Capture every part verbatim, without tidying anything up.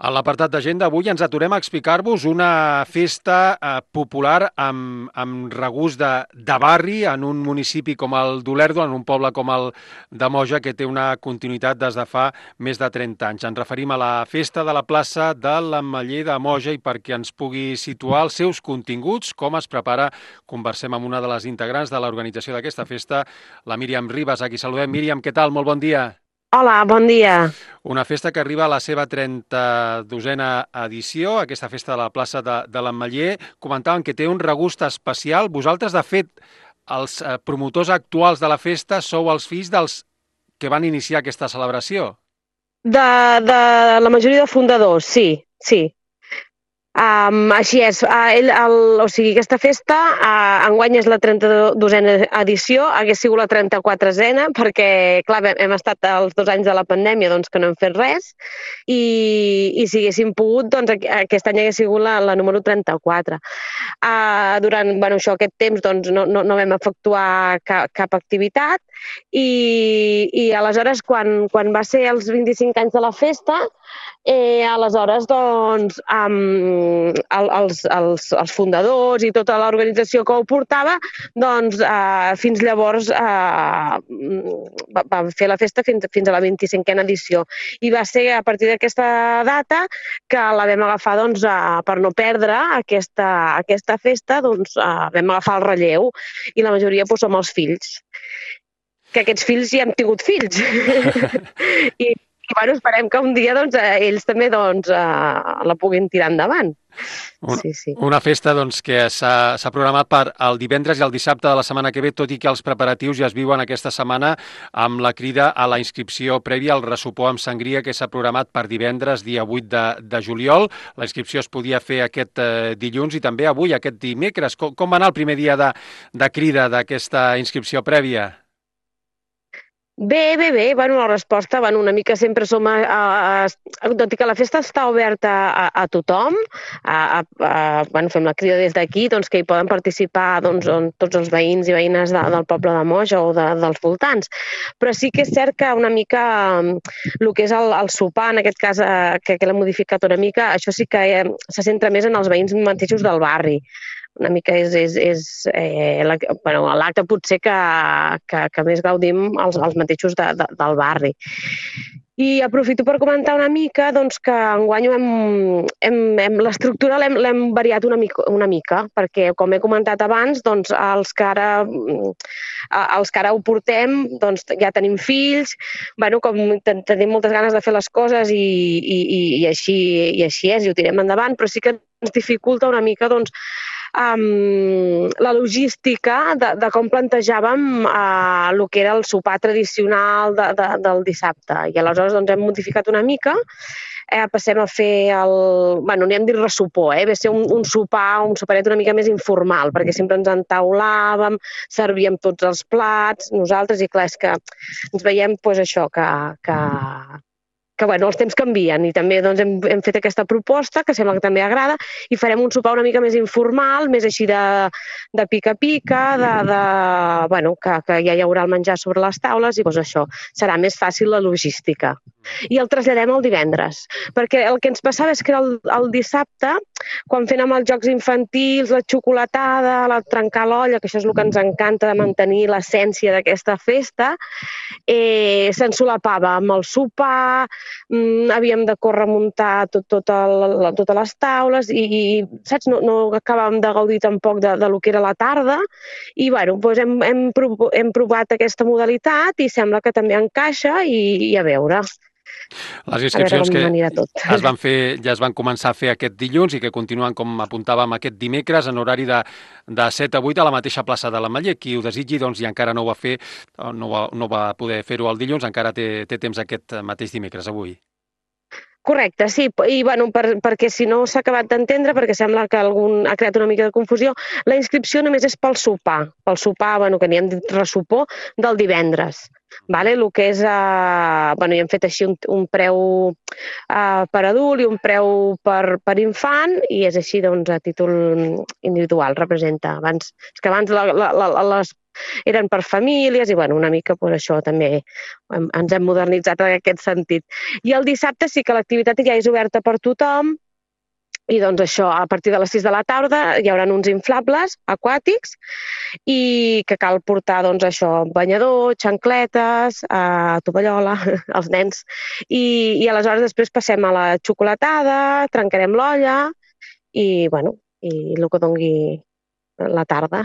A l'apartat d'agenda avui ens aturem a explicar-vos una festa eh, popular amb, amb regust de, de barri en un municipi com el d'Olèrdola, en un poble com el de Moja, que té una continuïtat des de fa més de trenta anys. Ens referim a la festa de la plaça de l'Ametller de Moja i perquè ens pugui situar els seus continguts, com es prepara, conversem amb una de les integrants de l'organització d'aquesta festa, la Míriam Ribas. Aquí saludem. Míriam, què tal? Molt bon dia. Hola, bon dia. Una festa que arriba a la seva trenta-dosena edició, aquesta festa de la plaça de, de l'Ametller. Comentaven que té un regust especial. Vosaltres, de fet, els eh, promotors actuals de la festa sou els fills dels que van iniciar aquesta celebració. De, de la majoria de fundadors, sí, sí. Um, així és, uh, ell, el, o sigui, aquesta festa uh, enguany és la trenta-dosena edició, hagués sigut la trenta-quatrena perquè, clar, hem estat els dos anys de la pandèmia doncs, que no hem fet res i, i si haguéssim pogut, doncs aquest any hagués sigut la, la número trenta-quatre. Uh, durant bueno, això, aquest temps doncs, no, no, no vam efectuar cap, cap activitat i, i aleshores quan, quan va ser els vint-i-cinc anys de la festa, eh, aleshores doncs um, el, els, els, els fundadors i tota l'organització que ho portava doncs eh, fins llavors eh, va, va fer la festa fins, fins a la vint-i-cinquena edició i va ser a partir d'aquesta data que la vam agafar doncs, eh, per no perdre aquesta, aquesta festa doncs eh, vam agafar el relleu i la majoria doncs, som els fills que aquests fills ja hem tingut fills i I bueno, esperem que un dia doncs, ells també doncs, eh, la puguin tirar endavant. Un, Sí, sí. una festa doncs, que s'ha programat per el divendres i el dissabte de la setmana que ve, tot i que els preparatius ja es viuen aquesta setmana amb la crida a la inscripció prèvia al ressopor amb sangria que s'ha programat per divendres, dia vuit de, de juliol. La inscripció es podia fer aquest eh, dilluns i també avui, aquest dimecres. Com, com va anar el primer dia de, de crida d'aquesta inscripció prèvia? Bé, bé, bé. Bueno, la resposta, bueno, una mica sempre som... A, a, a, tot i que la festa està oberta a, a tothom, a, a, a, bueno, fem la crida des d'aquí, doncs que hi poden participar doncs, on, tots els veïns i veïnes de, del poble de Moja o de, dels voltants. Però sí que és cert que una mica el que és el, el sopar, en aquest cas, eh, que, que l'hem modificat una mica, això sí que eh, se centra més en els veïns mateixos del barri. Una mica és, és, és eh, l'acte bueno, potser que, que, que més gaudim els, els mateixos de, de, del barri. I aprofito per comentar una mica doncs, que enguany hem, hem, hem, l'estructura l'hem variat una mica, una mica, perquè, com he comentat abans, doncs, els, que ara, els que ara ho portem doncs, ja tenim fills, bueno, com tenim moltes ganes de fer les coses i, i, i, així, i així és, i ho tirem endavant, però sí que ens dificulta una mica doncs, Um, la logística de, de com plantejàvem uh, el que era el sopar tradicional de, de, del dissabte. I aleshores doncs, hem modificat una mica, eh, passem a fer el... Bueno, n'hi hem dit ressopor, eh? Va ser un, un sopar, un soparet una mica més informal, perquè sempre ens entaulàvem, servíem tots els plats, nosaltres, i clar, és que ens veiem pues, això, que... que que bueno, els temps canvien i també doncs, hem, hem fet aquesta proposta que sembla que també agrada i farem un sopar una mica més informal, més així de, de pica-pica, de, de, bueno, que, que ja hi haurà el menjar sobre les taules i doncs, això serà més fàcil la logística. I el traslladem al divendres, perquè el que ens passava és que el, el dissabte, quan fèiem els jocs infantils, la xocolatada, la trencar l'olla, que això és el que ens encanta de mantenir l'essència d'aquesta festa, eh, s'ensolapava amb el sopar, mm, havíem de córrer a muntar tot, tot el, totes les taules i, i saps, no, no acabàvem de gaudir tampoc de, de lo que era la tarda i bueno, doncs hem, hem, hem provat aquesta modalitat i sembla que també encaixa i, i a veure. Les inscripcions que tot. es van fer, ja es van començar a fer aquest dilluns i que continuen, com apuntàvem, aquest dimecres en horari de, de set a vuit a la mateixa plaça de l'Ametller. Qui ho desitgi doncs, i encara no ho va fer, no va, no va poder fer-ho el dilluns, encara té, té temps aquest mateix dimecres, avui. Correcte, sí, i bueno, per, perquè si no s'ha acabat d'entendre, perquè sembla que algun ha creat una mica de confusió, la inscripció només és pel sopar, pel sopar, bueno, que n'hi hem dit ressopor, del divendres. Vale? El que és, eh, bueno, hi hem fet així un, un preu eh, per adult i un preu per, per infant i és així doncs, a títol individual, representa. Abans, és que abans la, la, la, les eren per famílies i, bueno, una mica pues, això també ens hem modernitzat en aquest sentit. I el dissabte sí que l'activitat ja és oberta per tothom. I doncs això, a partir de les sis de la tarda hi haurà uns inflables aquàtics i que cal portar doncs això, banyador, xancletes, eh, tovallola, els nens. I, I aleshores després passem a la xocolatada, trencarem l'olla i, bueno, i el que dongui la tarda.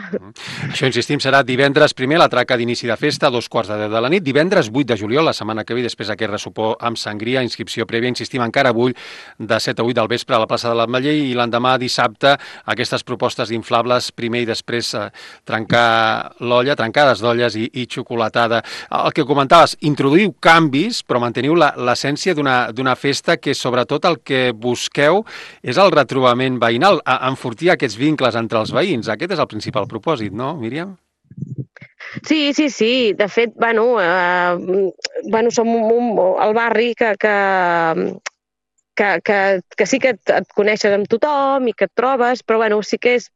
Això, insistim, serà divendres primer, la traca d'inici de festa, a dos quarts de deu de la nit, divendres vuit de juliol, la setmana que ve, després aquest ressopor amb sangria, inscripció prèvia, insistim, encara avui, de set a vuit del vespre a la plaça de l'Ametller, i l'endemà dissabte aquestes propostes d'inflables, primer i després eh, trencar l'olla, trencades d'olles i, i xocolatada. El que comentaves, introduïu canvis, però manteniu l'essència d'una festa que sobretot el que busqueu és el retrobament veïnal, enfortir aquests vincles entre els veïns. Aquest és el principal propòsit, no, Míriam? Sí, sí, sí. De fet, bueno, eh, bueno som un, un, el barri que, que, que, que, que sí que et, et coneixes amb tothom i que et trobes, però bueno, sí que és,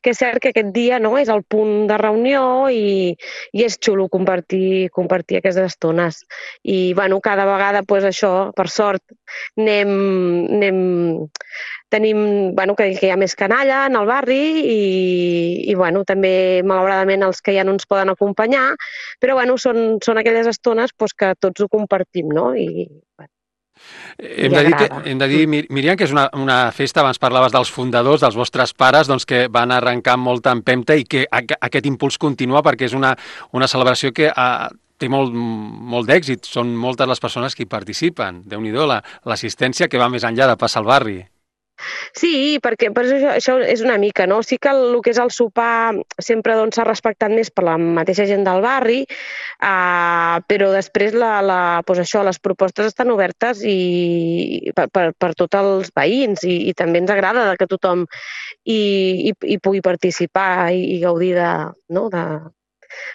que és cert que aquest dia no, és el punt de reunió i, i és xulo compartir, compartir aquestes estones. I bueno, cada vegada, pues, això, per sort, anem, anem tenim, bueno, que, que hi ha més canalla en el barri i, i bueno, també, malauradament, els que ja no ens poden acompanyar, però bueno, són, són aquelles estones pues, que tots ho compartim, no? I, bueno, hem, de dir que, hem de dir, Míriam, que és una, una festa, abans parlaves dels fundadors, dels vostres pares, doncs que van arrencar amb molta empenta i que aquest impuls continua perquè és una, una celebració que ha, té molt, molt d'èxit. Són moltes les persones que hi participen. Déu-n'hi-do, l'assistència que va més enllà de passar al barri. Sí, perquè per això, això és una mica, no? Sí que el, el que és el sopar sempre doncs, s'ha respectat més per la mateixa gent del barri, eh, però després la, la, doncs això, les propostes estan obertes i, per, per, per tots els veïns i, i també ens agrada que tothom hi, hi, hi pugui participar i, i gaudir de, no? de,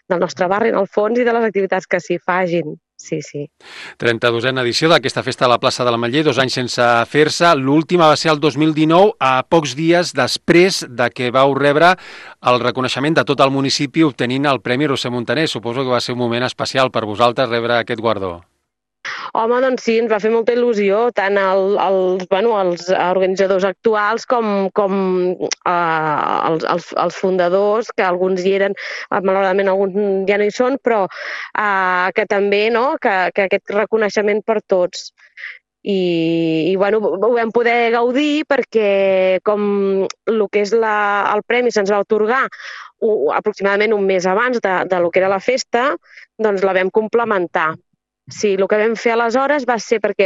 del nostre barri, en el fons, i de les activitats que s'hi fagin. Sí, sí. trenta-dosena edició d'aquesta festa a la plaça de l'Ametller, dos anys sense fer-se. L'última va ser el dos mil dinou, a pocs dies després de que vau rebre el reconeixement de tot el municipi obtenint el Premi Roser Montaner. Suposo que va ser un moment especial per vosaltres rebre aquest guardó. Home, doncs sí, ens va fer molta il·lusió, tant el, els, bueno, els organitzadors actuals com, com eh, els, els, els fundadors, que alguns hi eren, malauradament alguns ja no hi són, però eh, que també, no?, que, que aquest reconeixement per tots. I, i bueno, ho vam poder gaudir perquè com el que és la, el premi se'ns va atorgar uh, aproximadament un mes abans de, de lo que era la festa, doncs la vam complementar. Sí, el que vam fer aleshores va ser perquè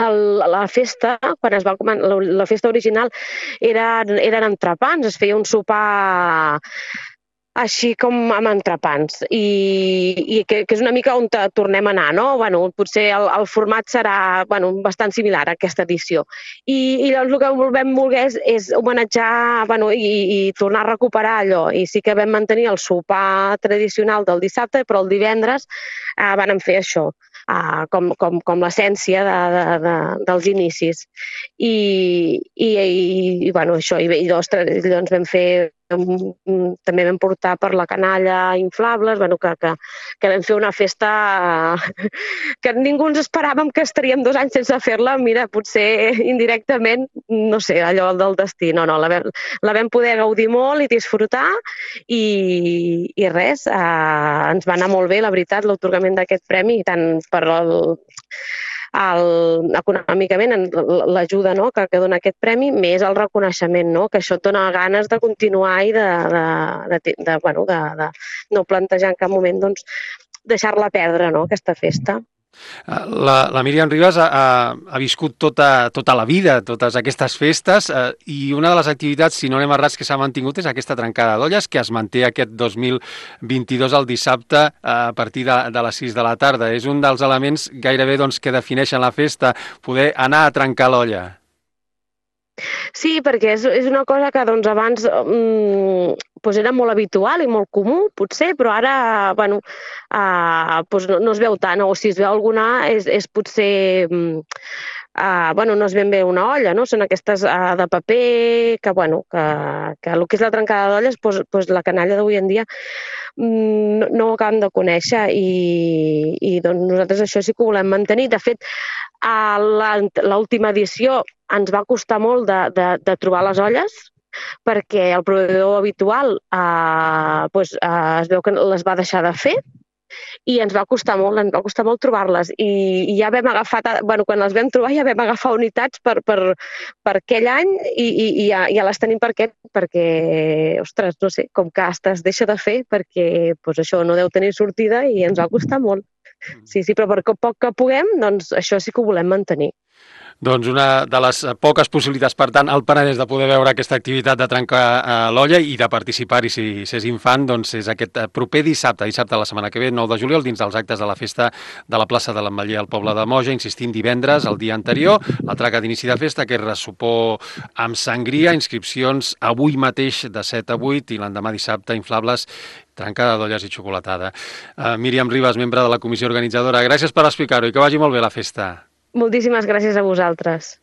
el, la festa, quan es va la, la festa original, eren, eren entrepans, es feia un sopar així com amb entrepans, i, i que, que és una mica on tornem a anar, no? Bueno, potser el, el format serà bueno, bastant similar a aquesta edició. I, i llavors el que vam voler és, és homenatjar bueno, i, i tornar a recuperar allò. I sí que vam mantenir el sopar tradicional del dissabte, però el divendres eh, vam fer això. Uh, com, com, com l'essència de, de, de, dels inicis. I, i, i, i bueno, això, i, i ostres, doncs vam fer, um, també vam portar per la canalla inflables, bueno, que, que, que vam fer una festa uh, que ningú ens esperàvem que estaríem dos anys sense fer-la, mira, potser indirectament, no sé, allò del destí, no, no, la vam, la vam poder gaudir molt i disfrutar i, i res, uh, ens va anar molt bé, la veritat, l'atorgament d'aquest premi, tant per el, el, econòmicament l'ajuda no, que, que dona aquest premi, més el reconeixement, no, que això et dona ganes de continuar i de, de, de, de, bueno, de, de no plantejar en cap moment doncs, deixar-la perdre, no, aquesta festa. La, la Míriam Ribas ha, ha viscut tota, tota la vida, totes aquestes festes, eh, i una de les activitats, si no anem errats, que s'ha mantingut és aquesta trencada d'olles, que es manté aquest dos mil vint-i-dos al dissabte a partir de, de les sis de la tarda. És un dels elements gairebé doncs, que defineixen la festa, poder anar a trencar l'olla. Sí, perquè és, és una cosa que doncs, abans mmm, doncs era molt habitual i molt comú, potser, però ara bueno, uh, doncs no, no es veu tant, o si es veu alguna és, és potser... Mmm, uh, bueno, no és ben bé una olla, no? Són aquestes uh, de paper, que, bueno, que, que el que és la trencada d'olles, doncs, doncs la canalla d'avui en dia mm, no, no ho acabem de conèixer i, i doncs nosaltres això sí que ho volem mantenir. De fet, a l'última edició ens va costar molt de, de, de trobar les olles, perquè el proveïdor habitual eh, doncs, eh, es veu que les va deixar de fer i ens va costar molt, ens va costar molt trobar-les i, i ja vam agafar, bueno, quan les vam trobar ja vam agafar unitats per, per, per aquell any i, i, i ja, ja les tenim per aquest, perquè, ostres, no sé, com que es deixa de fer perquè doncs això no deu tenir sortida i ens va costar molt. Sí, sí, però per poc que puguem, doncs això sí que ho volem mantenir. Doncs una de les poques possibilitats, per tant, al Penedès de poder veure aquesta activitat de trencar eh, l'olla i de participar-hi si s'és infant, doncs és aquest proper dissabte, dissabte de la setmana que ve, nou de juliol, dins dels actes de la festa de la plaça de l'Ametller al poble de Moja, insistint divendres, el dia anterior, la traca d'inici de festa, que és ressopor amb sangria, inscripcions avui mateix de set a vuit i l'endemà dissabte, inflables, trencada d'olles i xocolatada. Uh, Míriam Ribas, membre de la comissió organitzadora, gràcies per explicar-ho i que vagi molt bé la festa. Moltíssimes gràcies a vosaltres.